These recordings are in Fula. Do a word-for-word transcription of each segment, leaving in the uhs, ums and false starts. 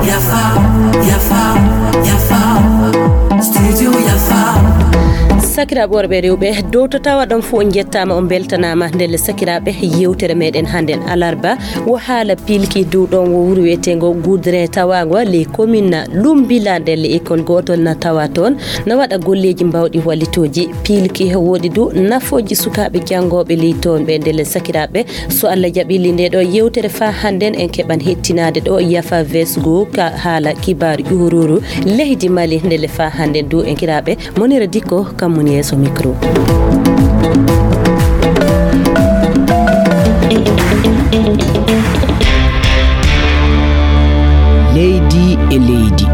Yafa, yafa, yafa. Studio yafa. Sakiraaɓe worɓe e rewɓe, dow to tawa ɗon fof, on njettaama, on mbeltanaama. Ndelle sakiraaɓe, yewtere meɗen hannden alarba wo haala piilki dow ɗon wo wuro wiyeteengo Goudrin tawaango ley commune Lumbila. Ndelle ikkol gootol na tawa toon, na waɗa golleeji mbawɗi wallitooji piilki. Woodi du nafooji sukaaɓe janngooɓe ley toon ɓe. Ndelle sakiraaɓe, so Allah jaɓi nde ɗo yewtere faa hannden, en keɓan hettinaade ɗo Yafa Vesgo ka haala kibaaru ƴuuruuru leydi Mali. Ndelle faa hannden du en kiraaɓe, Monira Dikko kam woni yeeso micro. Leydi e leydi.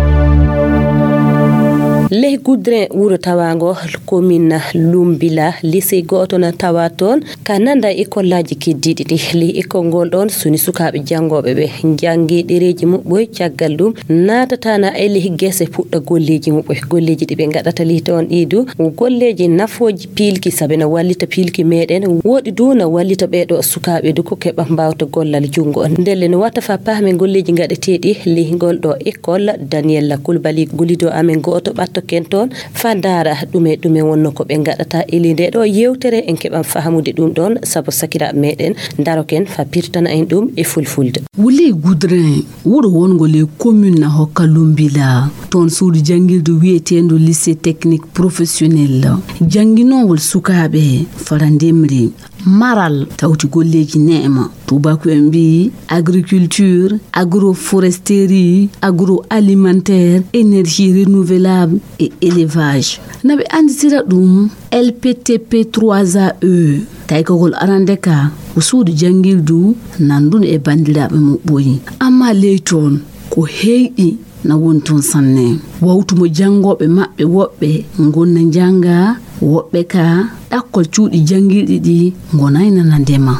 Ley Goudrin wuro tawaango commune Lumbila, lycée gooto na tawa toon. Ka nanda e kollaaji keddiiɗi ɗi, ley ikkol ngol ɗoon suni sukaaɓe janngooɓe ɓe njanngi ɗereeji muɓɓoy, caggal ɗum naatatana e ley gese puɗɗa golleeji muɓɓoy. Golleeji ɗi ɓe ngaɗata ley toon ɗi du, golleeji nafooji piilki, sabe na wallita piilki meɗen, woɗi du na wallita ɓee ɗo sukaaɓe du ko keɓa mbawta gollal junngo. Ndelle no watta fa paamen golleeji ngaɗeteeɗi ley ngol ɗo ikkol, Daniel Kulbali gulido amen gooto ɓattoken toon, fa ndaara ɗume, ɗume wonno ko ɓe ngaɗata. Ili nde ɗo yewtere en keɓan fahamude ɗum ɗon, sabu sakiraaɓe meɗen ndaroken fa pirtana en ɗum e fulfulde. Wuli Goudrin, wuro wongo ley commune na hokka Lumbila. Toon suudu janngirdu wiyeteendu lycée technique professionnel. Jannginowol sukaaɓe fara ndemri. Maral tawti golleeji neema. Tuubaaku en mbiyi agriculture, agroforesterie, agroalimentaire, énergie renouvelable et élevage. Na ɓe annditira ɗum L P T P trois A E. Taykagol arande ka ko suudu janngirdu nandundu e banndiraaɓe muɓɓoy. Amma ley toon ko heyɗi na woni toon sanne. Wawtu mo janngooɓe maɓɓe woɓɓe ngonna njannga, woɓɓe ka ɗakkol cuuɗi janngirɗi ɗi ngonay nana ndema.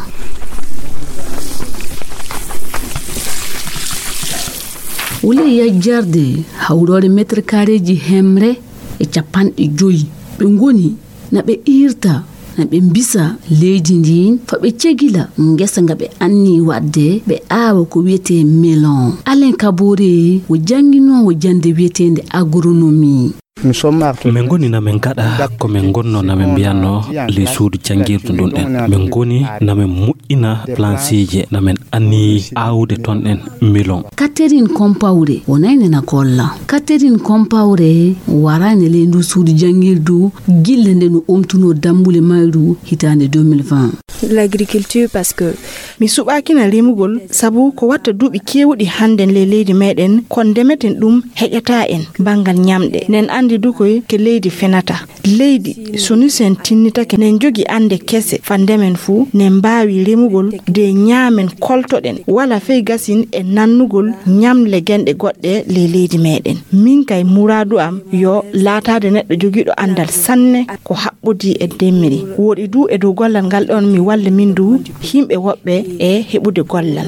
Wule yajjarde hawroore meetar kareeji hemre e capanɗe joyi ɓe ngoni na ɓe iirta, na ɓe mbisa leydi ndi, fa ɓe cegila ngesa nga ɓe anni waɗde, ɓe aawa ko wiyetee melon. Alain Kabore wo jannginoowo jannde wiyeteende agronomie. Min ngoni na min ngaɗa ko min ngonno na min mbiyanno ley suudu janngirdu ndun ɗen. Min ngoni na min moƴƴina plansiije, na min anni aawude ton ɗen melon. Catherine Compaoré wonayne na golla. Catherine Compaoré warayne ley ndu suudu janngirdu gilla nde no omtunoo dammbule mayru hitaande deux mille vingt. L'agriculture, parce que mi suɓaakina remugol, sabu ko watta duuɓi keewuɗi hannden ley leydi meɗen, ko ndemeten ɗum heƴataa en banngal ñamɗe. Nen anndi du koy ke leydi fenata. Leydi, so ni sen tinnitake, nen jogi annde kese fa ndemen fuu, nen mbaawi remugol de ñaamen koltoɗen, wala fey gasin e nannugol ñamle genɗe goɗɗe ley leydi meɗen. Min kay muraadu am yo laataade neɗɗo jogiiɗo anndal sanne ko haɓɓodii e ndemri. Woɗi du e dow gollal ngal ɗon mi walla min du yimɓe woɓɓe e heɓude gollal.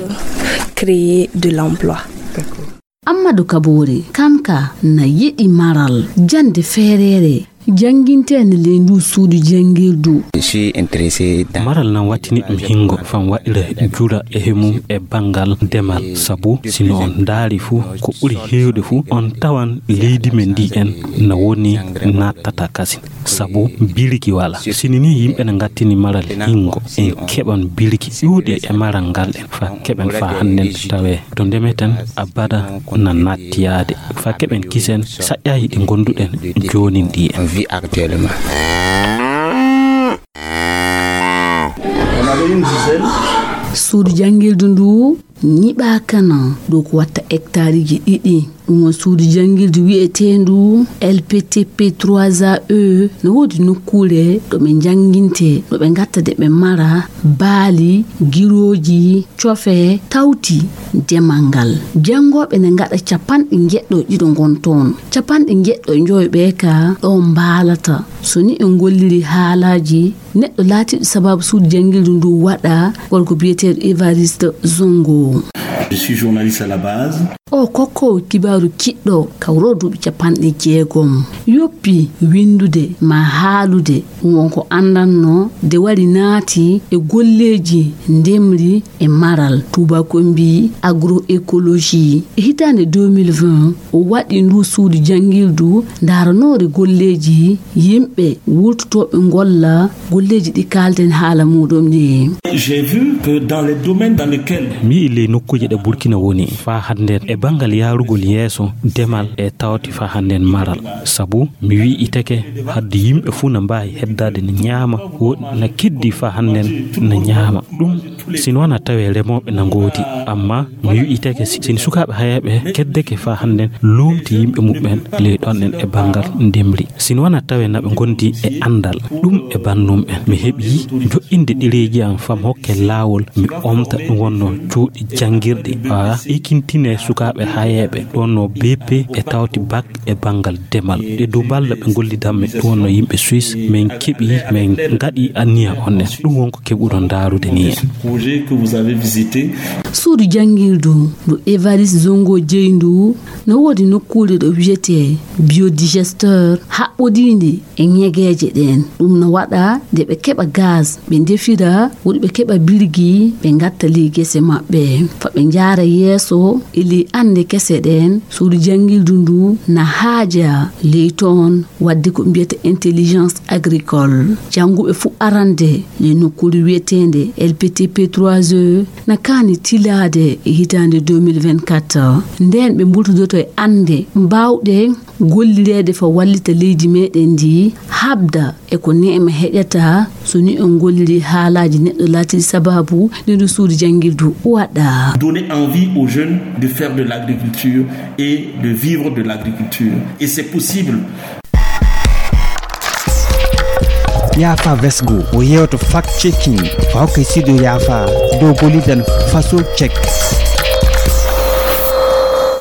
Créer de l'emploi. Ammadu Kaboore, kam ka na yiɗi maral, jannde feereere, jannginteende ley ndu suudu janngirdu. Maral nan wattini ɗum hingo, fam waɗira jura e hemum e banngal demal. Sabu, si no on ndaari fu, ko ɓuri heewde fu, on tawan leydi men ndi en na woni nattata kasin. Sabu biriki wala. Sini ni yimɓe ne ngattini maral hingo, en keɓan biriki ɗuuɗi e maral ngal ɗen, fa keɓen fa hannden tawe to ndemeten abada na nattiyaade. Fa keɓen kisen saƴƴaaji ɗi gonduɗen joonin ɗi en. Suudu janngirdu ndu ñiɓaaka na dow ko watta hectareji ɗiɗi. Ɗum won suudu janngirdu wiyeteendu L P T P trois A E. No woodi nokkuure ɗo ɓe njannginte, ɗo ɓe ngatta de ɓe mara baali, girooji, cofe, tawti demal ngal. Janngooɓe ne ngaɗa capanɗe njeɗɗo ɗiɗo ngon toon. Capanɗe njeɗɗo njoyo ɓe ka ɗo mbaalata. So ni en ngolliri haalaaji, neɗɗo laatiiɗo sababu suudu janngirdu ndu waɗa, gorko biyeteeɗo Evariste Zongo. Je suis journaliste à la base. O kokkoowo kibaaru kiɗɗo kawroo duuɓi capanɗe jeegom. Yoppi winndude ma haalude, ɗum won ko anndanno de wari naati e golleeji ndemri e maral, tuubakoo mbii agroecologie. E hitaande deux mille vingt, o waɗi ndu suudu janngirdu ndaaranoore golleeji yimɓe wurtotooɓe ngolla golleeji ɗi kaalten haala muuɗum ɗi. J'ai vu que dans les domaines dans lesquels mi yi'i ley nokkuuje ɗe Burkina woni faa hannden e banngal yaarugol yeeso demal e tawti faa hannden maral. Sabu mi wi'iteke hadde yimɓe fuu na mbaawi heddaade na ñaama, woɗi na keddi faa hannden na ñaama. Ɗum si no wona tawee remooɓe na ngoodi, amma mi wi'iteke si, si sukaaɓe hayeeɓe keddeke faa hannden luumti yimɓe muɓɓen ley ɗon en e banngal ndemri. Si no wona tawee na ɓe ngondi e anndal, ɗum e bannum en. Mi heɓi joƴƴinde ɗereeji am faa mi hokke laawol, mi omta ɗum wonno cuuɗi janngirɗi, faa ekintine sukaaɓe hayeeɓe ɗon no B P e tawti bac e banngal demal. E dow mballa ɓe ngollidan mi ɗum wonno yimɓe Suisse, min keɓi, min ngaɗi anniya on en. Ɗum won ko keɓuɗon ndaarude ni en. Projet que vous avez visité. Suudu janngirdu ndu Évariste Zongo jeyi ndu no woodi nokkuure ɗo wiyetee biodigesteur haɓɓodiinde e ñegeeje ɗeen. Ɗum no waɗa nde ɓe keɓa gaz, ɓe ndefira, woɗi ɓe keɓa birgi, ɓe ngatta ley gese maɓɓe. Faa ɓe njaara yeeso e ley annde kese ɗeen, suudu janngirdu ndu na haaja ley toon waɗde ko mbiyata intelligence agricole. Jannguɓe fuu arande ley nokkuure wiyeteende L P T P trois E na kaani tilaade e hitaande deux mille vingt-quatre. Ndeen ɓe mburtodoto e annde baawɗe gollireede faa wallita leydi meeɗen ndi, haɓda e ko neema heƴata so ni on ngolliri haalaaji neɗɗo laatiiɗi sabaabu nde ndu suudu janngirdu waɗa. Donner envie aux jeunes de faire de l'agriculture et de vivre de l'agriculture. Et c'est possible. Yaafa Vesgo, o yeewto fact checking, faa hokke studio Yaafa dow gollidan faso check.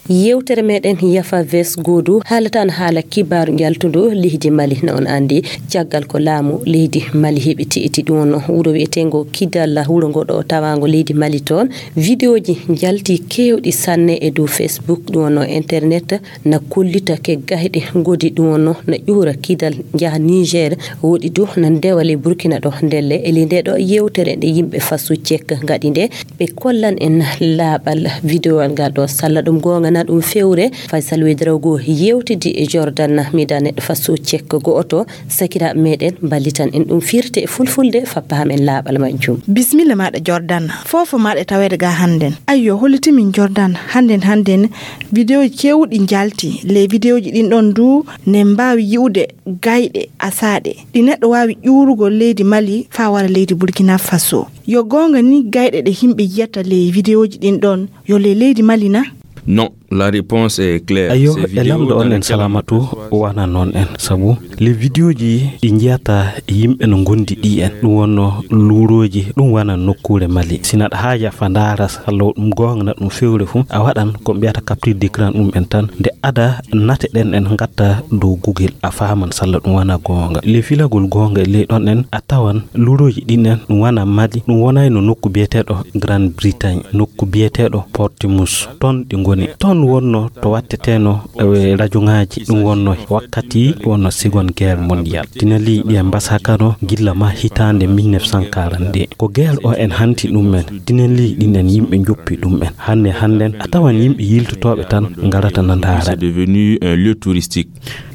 Yewtere meɗen Yafa Ves Goodu haalatan haala kibaaru njaltundu leydi Mali. No on anndi, caggal ko laamu leydi Mali heɓi ti'iti ɗum, wuro wi'eteengo Kidal, wuro ngo ɗo tawaango leydi Mali toon, vidéoji njalti keewɗi sanne e dow Facebook, ɗum wonno internet, na kollita ke gayɗe ngodi, ɗum wonno na ƴuura Kidal njaha Niger, woɗi du na ndewa ley Burkina ɗo. Ndelle e ley nde ɗo yewtere nde yimɓe Faso Cek ngaɗi nde, ɓe kollan en laaɓal vidéowal ngal ɗo. Salla ɗum goonga na ɗum fewre, Faysal Wedrogo yewtidi e Jordan, mida neɗɗo Faso Cek go'oto, sakiraaɓe meɗen mballitan en ɗum firte e fulfulde, fappa hamen laaɓal majjum. Bismilla maɗa Jordan, fofo maɗa e taweede ga hannden. Ayyo, hollitimin Jordan, hannden, hannden, vidéoji keewɗi njalti. Ley vidéoji ɗin ɗon du, ne mbaawi yi'ude gayɗe asaaɗe ɗi neɗɗo waawi ƴuurugol leydi Mali faa wara leydi Burkina Faso. Yo goonga ni gayɗe ɗe yimɓe yiyata ley vidéoji ɗin ɗon, yo ley leydi Mali na? Non, la réponse est claire. Ayyo, e lamɗo on en salamatu, wana noon en. Sabu ley vidéoji ɗi njiyata yimɓe no ngondi ɗi en, ɗum wonno luurooji, ɗum wana nokkuure Mali. Si naɗa haaja fa ndaara, salla ɗum goonga na ɗum fewre fu, a waɗan ko mbiyata capture d'écran ɗum en tan. Nde ada nate ɗen en ngatta dow Google, a faaman salla ɗum wana goonga. Ley filagol goonga e ley ɗon en, a tawan luurooji ɗin en, ɗum wana Mali, ɗum wonayno nokku biyeteeɗo Grande Bretagne, nokku biyeteeɗo Portimus. Toon ɗi ngoni. Toon wonno to watteteno, eh, rajoŋaaji, ɗum wonno wakkati wonno Seconde Guerre Mondiale. Tinali ɗi en mbasakano gilla ma hitaande mille neuf cent quarante-deux. Ko guerre o en hanti ɗum en. Tinali ɗin en yimɓe njoppi ɗum en. Hannde hannden a tawan yimɓe yiltotooɓe tan ngarata na ndaara. C'est devenu un lieu touristique.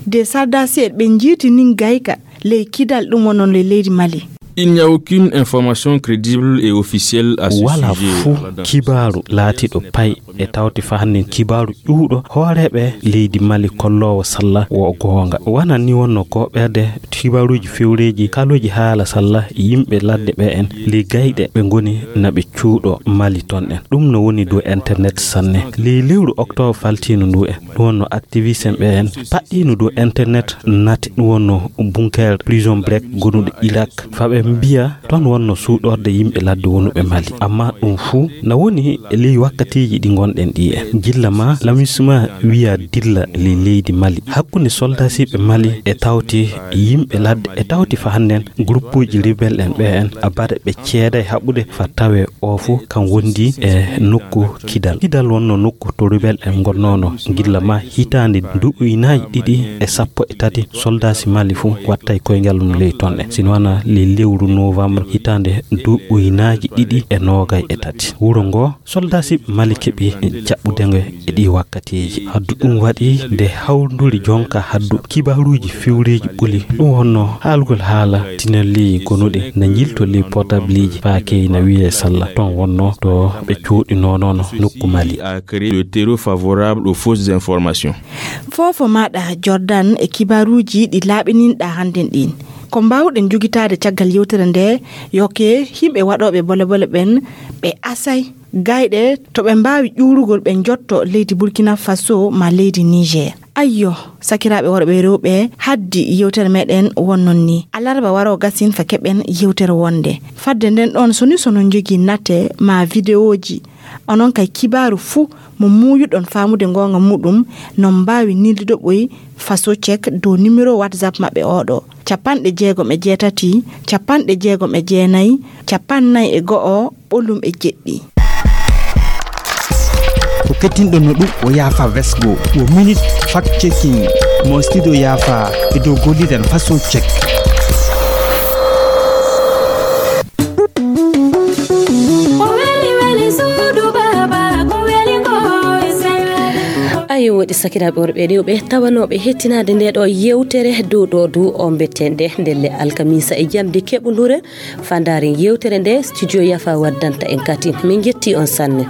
De sardasi'en ɓe njiiti nin gayka ley Kidal, ɗum wonno ley leydi Mali. Il n'y a aucune information crédible et officielle à ce sujet. Wala fuu kibaaru laatiiɗo pay e tawti fa hannden kibaaru ƴuuɗo hooreeɓe leydi Mali kolloowo salla wo goonga. Wana ni wonno gooɓeede kibaaruuji fewreeji, kalooji haala salla yimɓe ladde ɓe en ley gayɗe ɓe ngoni na ɓe cuuɗo Mali toon en. Ɗum no woni dow internet sanne. Ley lewru oktoobar faltiindu ndu en, ɗum wonno activiste en ɓe en paɗɗiino dow internet nati, ɗum wonno bunker, prison break gonuɗo Irak. Fa ɓe mbiya toon wonno suuɗorde yimɓe ladde wonuɓe Mali. Amma ɗum fuu na woni e ley wakkatiiji ɗi ngon Ɗen ɗi en. Gilla ma, lamisma wiya dilla ley leydi Mali. Hakkunde soldasiiɓe Mali e tawti yimɓe ladde, e tawti fa hannden groupuuji rebel en ɓe en, a baɗa ɓe ceeday haɓude fa tawe o fu kan wondi e nokku Kidal. Kidal wonno nokku to rebel en ngonnoono gilla ma hitaande duɓu ujunaaji ɗiɗi e sappo e tati, soldasi Mali fu wattay koyngal mum ley ton ɗen. Sino wana ley lewru novembre hitaande duɓu ujunaaji ɗiɗi e noogay e tati. Wuro ngo soldasiiɓe Mali keɓi jaɓɓude ngo e ɗi wakkatiiji. Haddu ɗum waɗi nde hawnduri jonka haddu kibaruuji fewreeji ɓuli. Ɗum wonno haalgol haala tinelli gonuɗi na njilto ley portableeji faakey na wiyee salla. Ton wonno to ɓe cuuɗinoonono nokku Mali. A créé le terreau favorable aux fausses informations. Foofo maɗa Jordan e kibaruuji ɗi laaɓininɗa hannden ɗin. Ko mbaawɗen jogitaade caggal yewtere nde, yo ke yimɓe waɗooɓe bole bole ɓen ɓe asay gayɗe to ɓe mbaawi ƴuurugol ɓe njotto leydi Burkina Faso ma leydi Niger. Ayyo, sakiraaɓe worɓe e rewɓe, haddi yewtere meɗen wonnon ni. Alarba waro gasin fa keɓen yewtere wonde. Fadde nden ɗon so ni so non jogii nate ma videoji, onon kay kibaaru fuu mo muuyuɗon faamude ngoonga muɗum, non mbaawi nildude ɓoy Faso Check dow numéro WhatsApp maɓɓe oɗo: capanɗe jeegom e jeetati, capanɗe jeegom e jeenayi, capannay e go'o, ɓolum e jeɗɗi. Ko kettinɗon no ɗum o yaafa vesgo, o minute fact checking mo studio yaafa e dow golliren Faso Check. Ayo, woɗi sakiraaɓe worɓe e rewɓe tawanooɓe hettinaade nde ɗo yewtere dow ɗo du o mbettende ndelle alkamisa e jamdi keɓundure. Fandaren yewtere nde studio Yafa waddanta en kadi. Min jetti on sanne.